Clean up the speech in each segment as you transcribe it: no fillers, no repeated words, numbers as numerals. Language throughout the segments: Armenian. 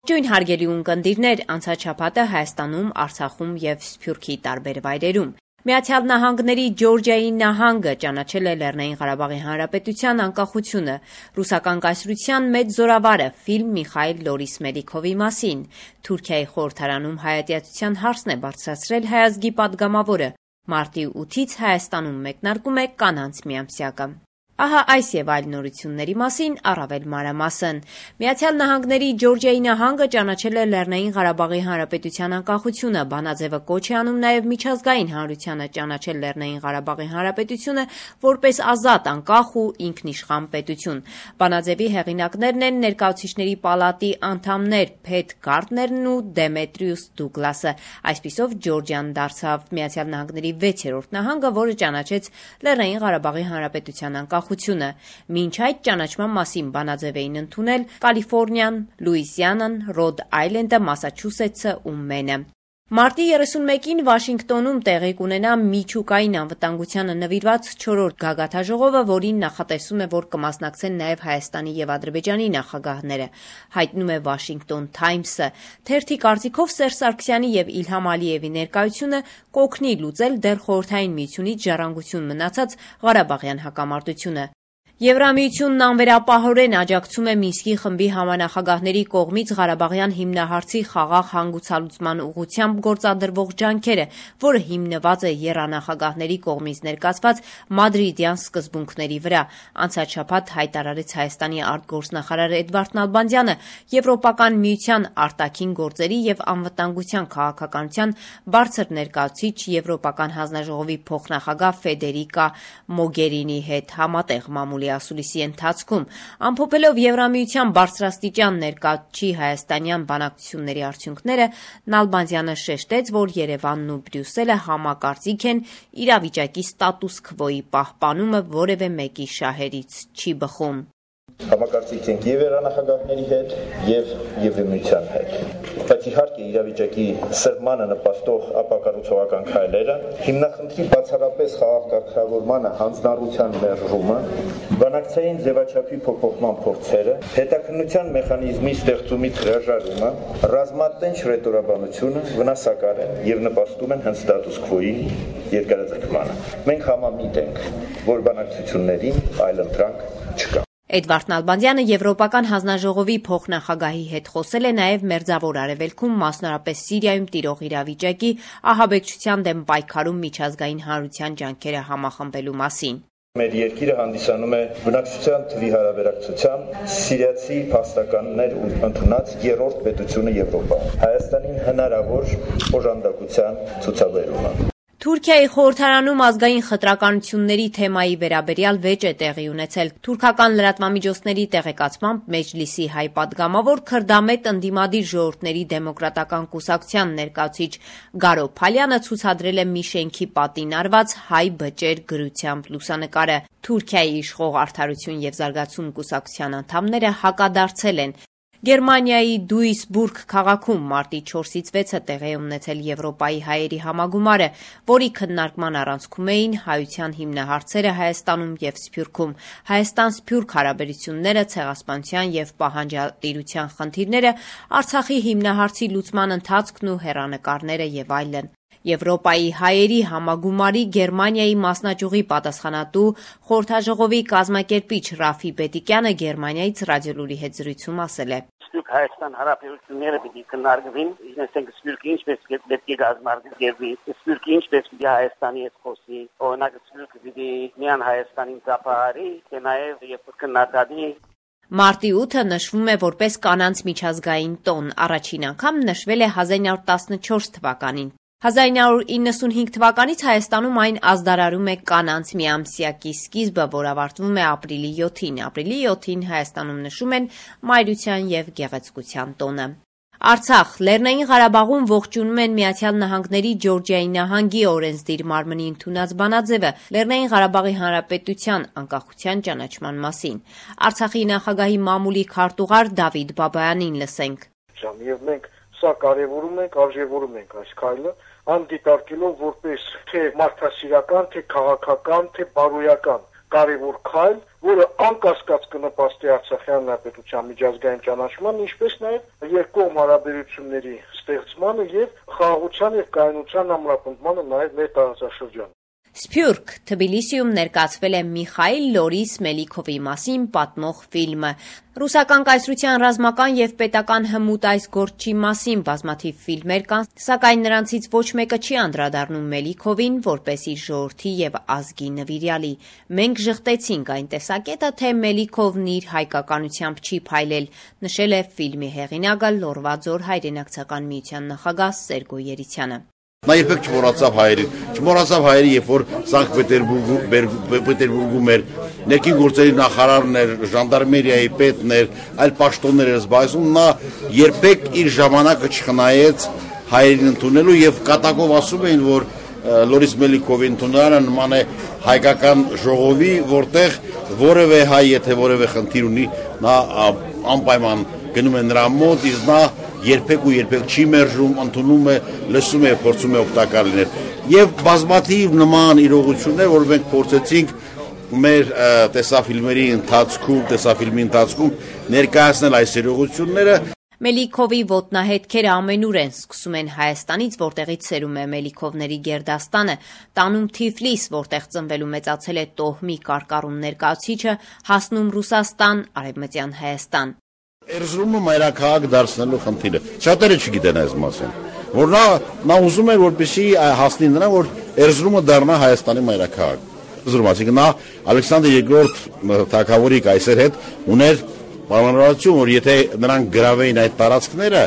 Ողջույն հարգելի ունկնդիրներ, անցած շաբաթը Հայաստանում, Արցախում եւ Սփյուռքի տարբեր վայրերում Միացյալ Նահանգների Ջորջիայի նահանգը ճանաչել է Լեռնային Ղարաբաղի Հանրապետության անկախությունը, ռուսական կայսրության մեծ զորավարը ֆիլմ Միխայիլ Լորիս-Մելիքովի մասին։ Թուրքիայի խորհրդարանում հայատյացության հարցն է բարձրացրել հայ ազգի պատգամավորը։ Մարտի 8-ից Հայաստանում մեկնարկում է կանանց միամսյակը։ Ահա այս եւ այլ նորությունների մասին առավել մանրամասն։ Միացյալ Նահանգների Ջորջիայի նահանգը ճանաչել է Լեռնային Ղարաբաղի Հանրապետության անկախությունը, բանաձևը կոչ է անում նաեւ միջազգային հանրությանը ճանաչել Լեռնային Ղարաբաղի Հանրապետությունը որպես ազատ, անկախ ու ինքնիշխան պետություն։ Բանաձևի հեղինակներն են Ներկայացուցիչների պալատի անդամներ Փեթ Գարտներն ու Դեմետրիուս Դուգլասը։ Այսպիսով Ջորջիան դարձավ Միացյալ Նահանգների 6-րդ նահանգը, որը ճանաչեց Լեռնային Ղարաբաղի Հանրապետության անկախությունը։ Մինչ այդ ճանաչման մասին բանաձև էին ընդունել Կալիֆոռնիան, Լուիզիանան, Ռոդ Այլենդը, Մասաչուսեթսը ու Մենը։ Մարտի 31-ին Վաշինգտոնում տեղի կունենա միջուկային անվտանգությանը նվիրված 4-րդ գագաթաժողովը, որին նախատեսում է, որ կմասնակցեն նաև Հայաստանի եւ Ադրբեջանի նախագահները, հայտնում է Washington Times-ը։ Թերթի կարծիքով Սերժ Սարգսյանի եւ Իլհամ Ալիևի ներկայությունը կօգնի լուծել դեռ Խորհրդային Միությունից ժառանգություն մնացած Ղարաբաղյան հակամարտությունը։ Եվրամիությունն անվերապահորեն աջակցում է Մինսկի խմբի համանախագահների կողմից Ղարաբաղյան հիմնահարցի խաղաղ հանգուցալուծման ուղղությամբ գործադրվող ջանքերը, որը հիմնված է եռանախագահների կողմից ներկայացված մադրիդյան սկզբունքների վրա։ Անցած շաբաթ հայտարարեց Հայաստանի արտգործնախարար Էդվարդ Նալբանդյանը Եվրոպական միության արտաքին գործերի եւ անվտանգության քաղաքականության բարձր ներկայացուցիչ Եվրոպական հանձնաժողովի փոխնախագահ Ֆեդերիկա Մոգերինի հետ համատեղ մամուլի ասուլիսի ընթացքում, ամփոփելով Եվրամիության բարձրաստիճան ներկայացուցիչի հայաստանյան բանակցությունների արդյունքները, Նալբանդյանը շեշտեց, որ Երևանն ու Բրյուսելը համակարծիք են, իրավիճակի ստատուս քվոյի պահպանումը որևէ մեկի շահերից չի բխում։ Համակարծիք ենք եւ երանախագահների հետ եւ Եվրամիության հետ։ Բայց իհարկե իրավիճակի սրմանը նպաստող ապակառուցողական քայլերը, հիմնախնդրի բացառապես խաղաղ կարգավորմանը հանձնառության մերժումը, բանակցային ձևաչափի փոփոխման փորձերը, հետաքննության մեխանիզմի ստեղծումից հրաժարումը, ռազմատենչ ռետորաբանությունը վնասակար են եւ նպաստում են հենց ստատուս քվոյի երկարաձգմանը։ Մենք համամիտ ենք, որ բանակցություններին այլընտրանք չկա։ Էդվարդ Նալբանդյանը Եվրոպական հանձնաժողովի փոխնախագահի հետ խոսել է նաև Մերձավոր Արևելքում, մասնավորապես Սիրիայում տիրող իրավիճակի, ահաբեկչության դեմ պայքարում միջազգային հանրության ջանքերը համախմբելու մասին։ Մեր երկիրը հանդիսանում է բնակչության թվի հարաբերակցությամբ սիրիացի փաստականներ ընդունած երրորդ պետությունը Եվրոպայում։ Հայաստանին հնարավոր օժանդակության ցուցաբերումը։ Թուրքիայի խորհրդարանում ազգային խտրականությունների թեմայի վերաբերյալ վեճ է տեղի ունեցել։ Թուրքական լրատվամիջոցների տեղեկացմամբ Մեջլիսի հայ պատգամավոր Քրդամետ ընդդիմադիր ժողովուրդների դեմոկրատական կուսակցության ներկայացուցիչ Գարո Փալյանը ցուցադրել է մի շենքի պատին արված հայ բջեր գրությամբ լուսանկարը։ Թուրքիայի իշխող Արդարություն եւ զարգացում կուսակցության անդամները հակադարձել են։ Գերմանիայի Դուիսբուրգ քաղաքում մարտի 4-ից 6-ը տեղի է ունեցել Եվրոպայի հայերի համագումարը, որի քննարկման առանցքում էին հայության հիմնահարցերը Հայաստանում եւ Սփյուռքում, Հայաստան-Սփյուռք հարաբերությունները, ցեղասպանության եւ պահանջատիրության խնդիրները, Արցախի հիմնահարցի լուծման ընթացքն ու հեռանկարները եւ այլն։ Եվրոպայի հայերի համագումարի Գերմանիայի մասնաճյուղի պատասխանատու խորհրդաժողովի կազմակերպիչ Ռաֆի Բետիկյանը Գերմանիայից ռադիոլուրի հետ զրույցում ասել է. Հայաստան հարաբերությունները պիտի քննարկվին, այսինքն Սփյուռքը ինչպես պետք է գազམ་արգելվի, Սփյուռքը ինչպես պիտի Հայաստանի հետ խոսի, օրինակ Սփյուռքը պիտի միան Հայաստանին ծափահարի, թե նաև երբ քննադատի։ Մարտի 8-ը նշվում է որպես կանանց միջազգային տոն, առաջին անգամ նշվել է 1914 թվականին։ 1995 թվականից Հայաստանում այն ազդարարում է կանանց միամսյակի սկիզբը, որ ավարտվում է ապրիլի 7-ին։ Ապրիլի 7-ին Հայաստանում նշում են Մայրության եւ Գեղեցկության տոնը։ Արցախ, Լեռնային Ղարաբաղում ողջունում են Միացյալ Նահանգների Ջորջիայի նահանգի օրենսդիր մարմնի ընդունած բանաձևը Լեռնային Ղարաբաղի Հանրապետության անկախության ճանաչման մասին։ Արցախի նախագահի մամուլի քարտուղար Դավիթ Բաբայանին լսենք։ Եվ մենք սա կարևորում ենք, արժևորում ենք այս քայլը, անդիտարկելով որպես թե մարդասիրական, թե քաղաքական, թե բարոյական կարևոր քայլ, որը անկասկած կնպաստի Արցախյան հանրապետության միջազգային ճանաչման, ինչպես նաև երկկողմ հարաբերությունների ստեղծմանը եւ խաղաղության եւ կայունության ամրապնդմանը նաև մեր տարածաշրջանում։ Սփյուռք Թբիլիսիում ներկայացվել է Միխայիլ Լորիս Մելիքովի մասին պատմող ֆիլմը։ Ռուսական կայսրության ռազմական եւ պետական հմուտ այս գործի մասին բազմաթիվ ֆիլմեր կան, սակայն նրանցից ոչ մեկը չի անդրադառնում Մելիքովին որպես իր ժողովրդի եւ ազգի նվիրյալի։ Մենք ժխտեցինք այն տեսակետը, թե Մելիքովն իր հայկականությամբ չի փայլել, նշել է ֆիլմի հեղինակը Լոռվա ձոր հայրենակցական միության նախագահ Սերգո Երիցյանը։ Նա երբեք չմոռացավ հայերի, երբ որ Սանկտ Պետերբուրգում էր ներքին գործերի նախարարն էր, ժանդարմերիայի պետն էր, այլ պաշտոններ էր զբաղեցնում, նա երբեք իր ժամանակը չխնայեց հայերին ընդունելու եւ կատակով ասում էին, որ Լորիս Մելիքովի ընդունարանը նման է հայկական ժողովի, որտեղ որևէ հայ, եթե որևէ խնդիր ունի, նա անպայման գնում է նրա մոտ, իսկ նա երբեք չի մերժում, ընդունում է, լսում է, փորձում է օգտակար լինել։ Եվ բազմաթիվ նման իրողություններ, որ մենք փորձեցինք մեր տեսաֆիլմի ընթացքում ներկայացնել այս իրողությունները։ Մելիքովի ոտնահետքերը ամենուր են, սկսում են Հայաստանից, որտեղից սերում է Մելիքովների գերդաստանը, տանում Թիֆլիս, որտեղ ծնվել ու մեծացել է Տոհմի կարկառուն ներկայացուցիչը, հասնում Ռուսաստան, Արևմտյան Հայաստան։ Էրզրումը մայրաքաղաք դարձնելու խնդիրը։ Շատերը չգիտեն այս մասին, որ նա ուզում էր, որպեսզի հասնի նրան, որ Էրզրումը դառնա Հայաստանի մայրաքաղաք։ Էրզրումը, նա Ալեքսանդր II թագավորի կայսեր հետ ուներ պայմանավորություն, որ եթե նրանք գրավեին այդ տարածքները,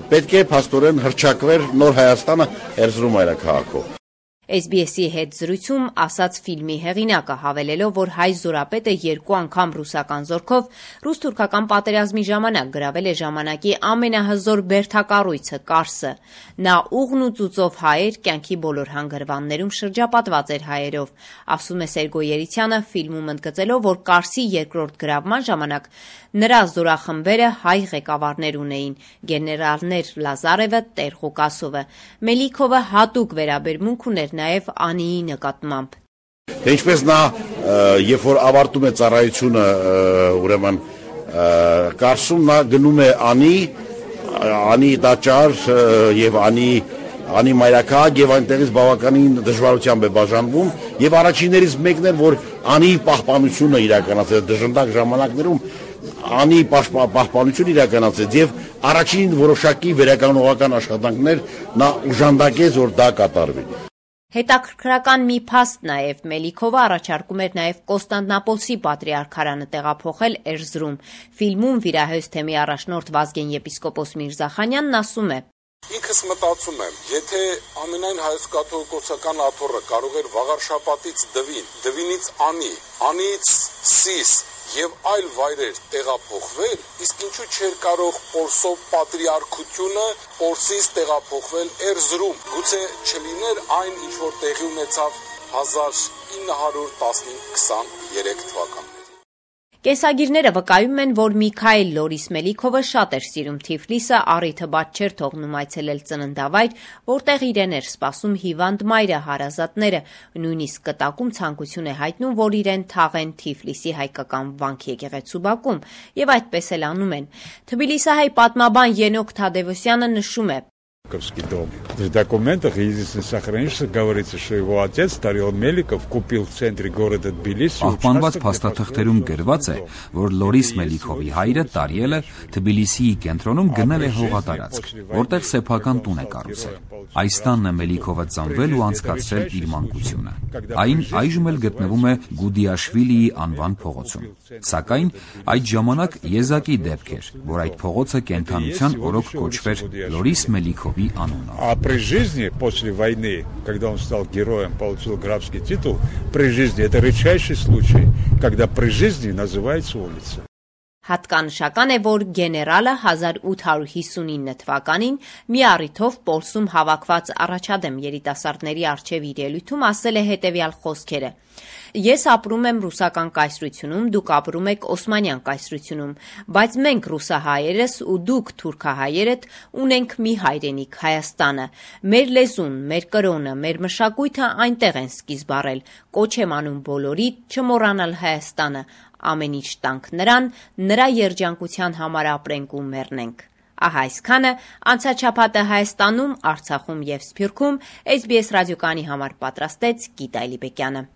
պետք է փաստորեն հռչակվեր նոր Հայաստանը Էրզրում մայրաքաղաքով։ SBS-ի հետ զրույցում ասաց ֆիլմի հեղինակը, հավելելով, որ հայ զորապետը 2 անգամ ռուսական զորքով ռուս-թուրքական պատերազմի ժամանակ գրավել է ժամանակի ամենահզոր բերդակառույցը Կարսը։ Նա ուղն ու ծուծով հայեր, կյանքի բոլոր հանգրվաններում շրջապատված էր հայերով, ասում է Սերգո Երիցյանը, ֆիլմում ընդգծելով, որ Կարսի երկրորդ գրավման ժամանակ նրա զորախմբերը հայ ղեկավարներ ունեին՝ գեներալներ Լազարևը, տեր Ղուկասովը։ Մելիքովը հատուկ վերաբերմունք ուներ նաև Անիի նկատմամբ։ Ինչպես նա, երբ որ ավարտում է ծառայությունը, ուրեմն Կարսում նա գնում է Անի տաճար եւ Անի մայրաքաղաք եւ այնտեղից բավականին դժվարությամբ է բաժանվում եւ առաջիններից մեկն էր, որ Անի պահպանությունը իրականացրեց դժնդակ ժամանակներում Անի պահպանություն իրականացրեց եւ առաջին որոշակի վերականգնողական աշխատանքներ նա ուժանդակեց, որ դա կատարվի։ Հետաքրքրական մի փաստ նաև Մելիքովը առաջարկում էր նաև Կոստանդնապոլսի պատրիարքարանը տեղափոխել Էրզրում։ Ֆիլմում վիրահոս թեմի առաջնորդ Վազգեն եպիսկոպոս Միրզախանյանն ասում է. Ինքս մտածում եմ, եթե ամենայն հայոց կաթողիկոսական աթոռը կարող էր Վաղարշապատից Դվինից Անից Սիս եւ այլ վայրեր տեղափոխվել, իսկ ինչու չէր կարող Պոլսով պատրիարքությունը Պոլսից տեղափոխվել Էրզրում։ Գուցե չլիներ այն, ինչ որ տեղի ունեցավ 1915-23 թվականներին։ Կենսագիրները վկայում են, որ Միքայիլ Լորիս Մելիքովը շատ էր սիրում Թիֆլիսը, առիթը բաց չէր թողնում այցելել ծննդավայր, որտեղ իրեն էր սպասում հիվանդ մայրը, հարազատները, նույնիսկ կտակում ցանկություն է հայտնում, որ իրեն թաղեն Թիֆլիսի հայկական վանք եկեղեցու բակում, եւ այդպես էլ անում են։ Թբիլիսահայ պատմաբան Ենոք Թադևոսյանը նշում է. дом. В документах единственное сохранившееся говорится, что его отец, Тарел Меликов, купил в центре города Тбилиси. Պահպանված փաստաթղթերում գրված է, որ Լորիս Մելիքովի հայրը Տարիելը Թբիլիսիի կենտրոնում գնել է հողատարածք, որտեղ սեփական տուն է կառուցել։ Այս տանն է Մելիքովը ծնվել ու անցկացրել իր մանկությունը։ Այն այժմ էլ գտնվում է Գուդիաշվիլիի անվան փողոցում։ Սակայն այդ ժամանակ եզակի դեպք էր, որ այդ փողոցը կենթանության օրոք կոչվեր Լորիս Մելիքովի անունով։ А при жизни, после войны, когда он стал героем, получил графский титул, при жизни, это редчайший случай, когда при жизни называется улица. Հատկանշական է, որ գեներալը 1859 թվականին մի առիթով Պոլսում հավաքված առաջադեմ երիտասարդների առջև իր ելույթում ասել է հետևյալ խոսքերը. Ես ապրում եմ ռուսական կայսրությունում, դուք ապրում եք օսմանյան կայսրությունում, բայց մենք ռուսահայերս ու դուք թուրքահայերդ ունենք մի հայրենիք Հայաստանը։ Մեր լեզուն, մեր կրոնը, մեր մշակույթը այնտեղ են սկիզբ առել։ Կոչ եմ անում բոլորի չմոռանալ Հայաստանը, ամեն ինչ տանք նրան, նրա երջանկության համար ապրենք ու մեռնենք։ Ահա այսքանը անցած շաբաթը Հայաստանում, Արցախում և Սփյուռքում SBS ռադիոկայանի համար պատրաստեց Գիտա Էլիբեկյանը։